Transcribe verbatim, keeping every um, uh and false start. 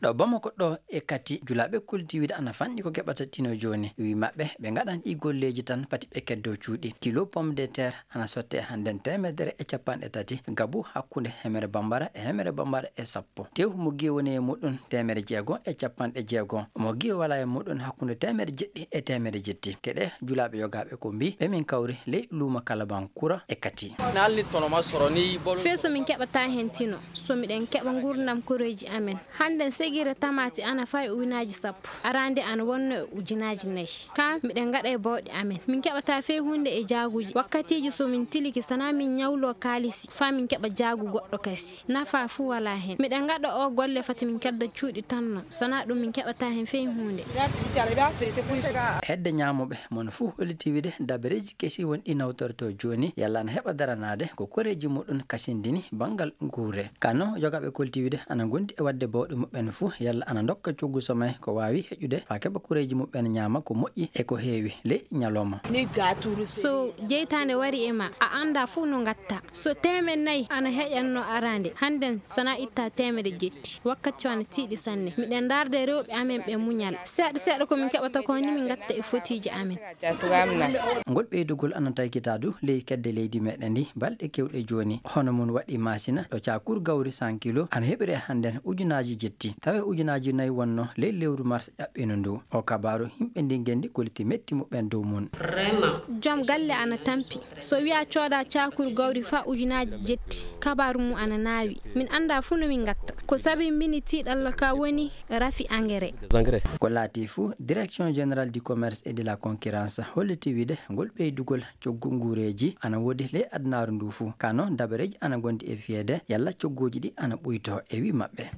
Ɗo Bamako ɗo e Kati, julaaɓe kolti wiide ana fanɗi ko keɓata tino jooni. Wi maɓɓe, ɓe ngaɗan ɗi golleeji tan, pati ɓe keddo cuuɗi. Kilo pomme de terre ana sotte hannden teemedere e capanɗe tati, gabu hakkunde hemere bambara e hemere bambara e sappo. Tew mo giye woni e muɗum teemere jeego e capanɗe jeego. Mo giye wala e muɗum hakkunde teemere jeɗɗi e teemere jetti. Keɗe julaaɓe yogaaɓe ko mbi, ɓe min kawri ley luuma Kalabankura e Kati. Naalni tono ma soro ni bolo. Fee so min keɓata heen tino, so miɗen keɓa nguurndam koreeji amen. Hannden segire tamaati ana fayi ujunaaji sappo. Araande ana wonno e ujunaaji nayi. Kaa miɗen ngaɗa e bawɗe amen. Min keɓata fee huunde e jaaguuji. Wakkatiiji so min tiliki, sanaa min ñawloo kaalisi, faa min keɓa jaagu goɗɗo kasi. Nafaa fuu walaa heen. Miɗen ngaɗa oo golle fati min kedda cuuɗi tan non. Sanaa ɗum min keɓata heen fee huunde. Hedde ñaamooɓe, mon fuu holliti wiide dabareeji kesi won ɗi nawtortoo jooni, yalla ana heɓa daranaade ko koreeji muɗum kasindini banngal nguure. Kano, yogaaɓe kolti wiide ana ngondi e waɗde bawɗe muɓɓen fuu, yalla ana ndokka coggu somay ko waawi heƴude faa keɓa koreeji muɓɓen ñaama ko moƴƴi e ko heewi ley ñalawma. So jeytaande wari e ma, a anndaa fuu no ngatta. So teemed nayi ana heƴanno araande, hannden sanaa itta teemedde jetti. Wakkati o ana tiiɗi sanne. Miɗen ndaarda e rewɓe amen ɓe muñal. Seeɗa seeɗa ko min keɓata ko ni min ngatta e fotiiji amen. Ngol ɓeydugol ana taykita du ley kedde leydi meɗen ndi balɗe kewɗe jooni. Hono mum waɗi Maasina ɗo caakur gawri cent kilo ana heɓire hannden ujunaaji jetti. Tawi ujunaaji nayi wonno ley lewru mars ƴaɓɓino ndu. O kabaaru yimɓe ndi ngenndi koliti metti muɓɓen dow mum. Joom galle ana tampi. So wiyaa cooda caakur gawri faa ujunaaji jetti, kabaaru mum ana naawi. Min anndaa fuu no min ngatta. Ko sabi mbini tiiɗalla ka woni rafi engrais. Ko laati fuu, Direction Générale du Commerce et de la Concurrence holliti wiide ngol ɓeydugol coggu nguureeji ana woodi ley adunaaru ndu fuu. Kano, dabareeji ana ngondi e fiyeede yalla cogguuji ɗi ana ɓuyto e wi maɓɓe.